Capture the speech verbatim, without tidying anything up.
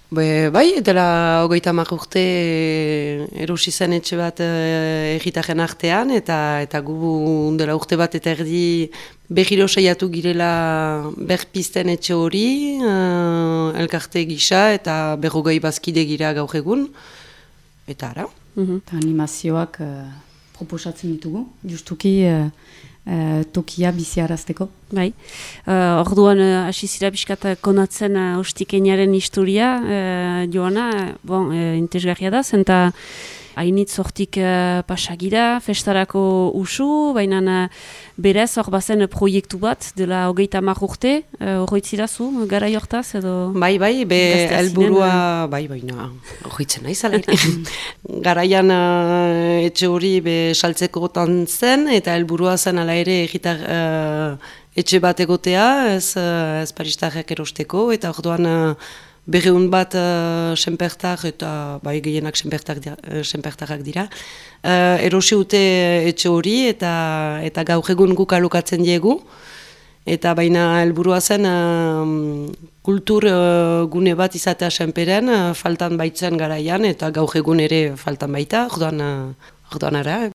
Be, bai, dela hogeita hamar urte erosi zen etxe bat egitaren artean, eta eta gu dela urte bat eta erdi behiro saiatu girela berpizten etxe hori, uh, elkarte gisa eta berrogei bazkide gira gaur egun, eta ara. Mm-hmm. Animazioak uh, proposatzen ditugu, justuki uh, uh, tokia biziarazteko. Bai, uh, orduan hasi uh, zira pixkat konatzen uh, ostikeinaren historia, uh, Joana, bon, uh, interesgarria da, zenta hainitz hortik uh, pasagira, festarako usu, baina uh, berez hor bazen proiektu bat, dela hogeita hamar urte, horretzirazu, uh, gara jortaz edo... Bai, bai, be helburua, bai, baina, horretzen nahi zala. Garaian uh, etxe hori be saltzekotan zen, eta helburua zen ala ere egitar... Uh, etxe bat egotea, ez, ez paristarrak erosteko, eta orduan uh, berreun bat uh, senpertar, eta bai gehienak senpertarrak dira. Uh, erosi ute etxe hori, eta, eta gaur egun guk alokatzen diegu, eta baina helburua zen uh, kultur uh, gune bat izatea senperen, uh, faltan baitzen garaian, eta gaur egun ere faltan baita, orduan, uh, orduan ara.